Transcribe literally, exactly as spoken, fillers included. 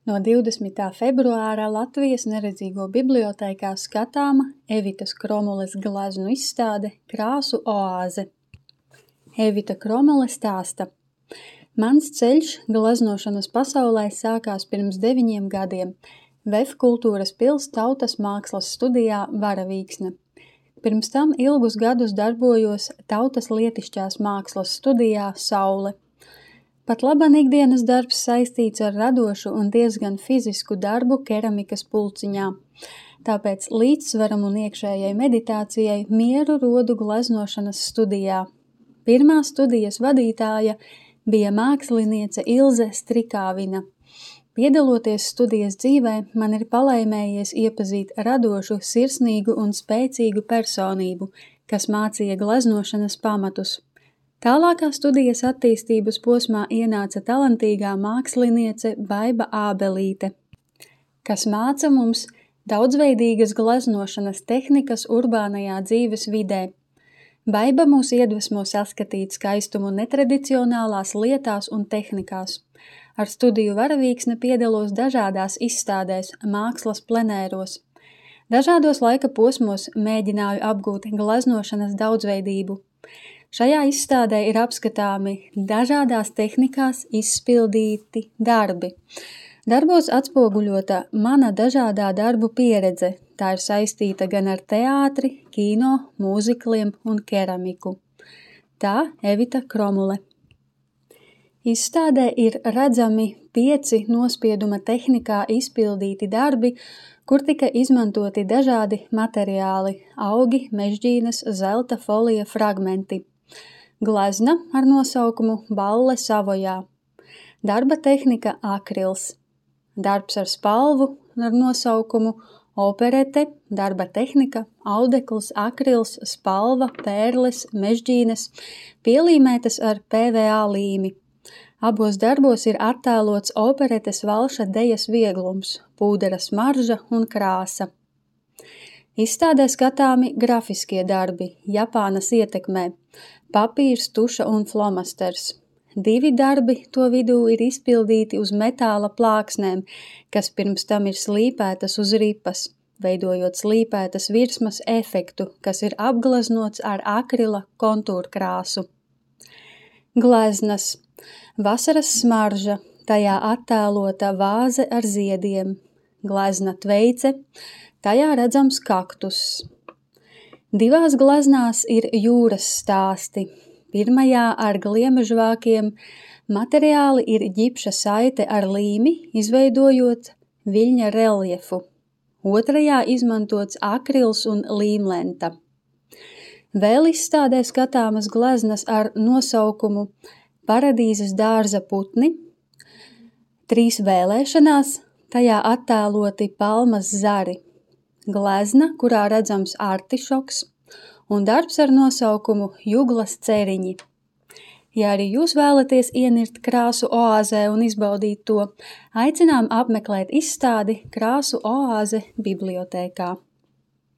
No divdesmitā februāra Latvijas neredzīgo bibliotēkā skatāma Evitas Kromules gleznu izstāde Krāsu oāze. Evita Kromule stāsta: Mans ceļš gleznošanas pasaulē sākās pirms deviņiem gadiem V E F Kultūras pils tautas mākslas studijā Varavīksne. Pirms tam ilgus gadus darbojos tautas lietišķās mākslas studijā Saule. Pat laban ikdienas darbs saistīts ar radošu un diezgan fizisku darbu keramikas pulciņā. Tāpēc līdzsvaram un iekšējai meditācijai mieru rodu gleznošanas studijā. Pirmā studijas vadītāja bija māksliniece Ilze Strikāvina. Piedaloties studijas dzīvē, man ir palaimējies iepazīt radošu, sirsnīgu un spēcīgu personību, kas mācīja gleznošanas pamatus. Tālākā studijas attīstības posmā ienāca talantīgā māksliniece Baiba Ābelīte, kas māca mums daudzveidīgas gleznošanas tehnikas urbānajā dzīves vidē. Baiba mūs iedvesmo saskatīt skaistumu netradicionālās lietās un tehnikās. Ar studiju Varavīksne piedalos dažādās izstādēs, mākslas plenēros. Dažādos laika posmos mēģināju apgūt gleznošanas daudzveidību. Šajā izstādē ir apskatāmi dažādās tehnikās izpildīti darbi. Darbos atspoguļota mana dažādā darbu pieredze. Tā ir saistīta gan ar teātri, kino, mūzikliem un keramiku. Tā Evita Kromule. Izstādē ir redzami pieci nospieduma tehnikā izpildīti darbi, kur tika izmantoti dažādi materiāli – augi, mežģīnes, zelta folija fragmenti. Glezna ar nosaukumu Balle Savojā. Darba tehnika akrils. Darbs ar spalvu ar nosaukumu operete, darba tehnika, audekls, akrils, spalva, pērles, mežģīnes, pielīmētas ar P V A līmi. Abos darbos ir attēlots operetes valša dejas vieglums, pūdera smarža un krāsa. Izstādē skatāmi grafiskie darbi, Japānas ietekmē, papīrs, tuša un flomasters. Divi darbi to vidū ir izpildīti uz metāla plāksnēm, kas pirms tam ir slīpētas uz ripas, veidojot slīpētas virsmas efektu, kas ir apgleznots ar akrila kontūrkrāsu. Gleznas. Vasaras smarža, tajā attēlota vāze ar ziediem. Glezna tveice, tajā redzams kaktus. Divās gleznās ir jūras stāsti. Pirmajā ar gliemežvākiem materiāli ir ģipša saite ar līmi, izveidojot viļņa reljefu. Otrajā izmantots akrils un līmlenta. Vēl izstādē skatāmas gleznas ar nosaukumu Paradīzes dārza putni, trīs vēlēšanās, tajā attēloti palmas zari. Glezna, kurā redzams artišoks, un darbs ar nosaukumu Juglas ceriņi. Ja arī jūs vēlaties ienirt krāsu oāzē un izbaudīt to, aicinām apmeklēt izstādi Krāsu oāze bibliotēkā.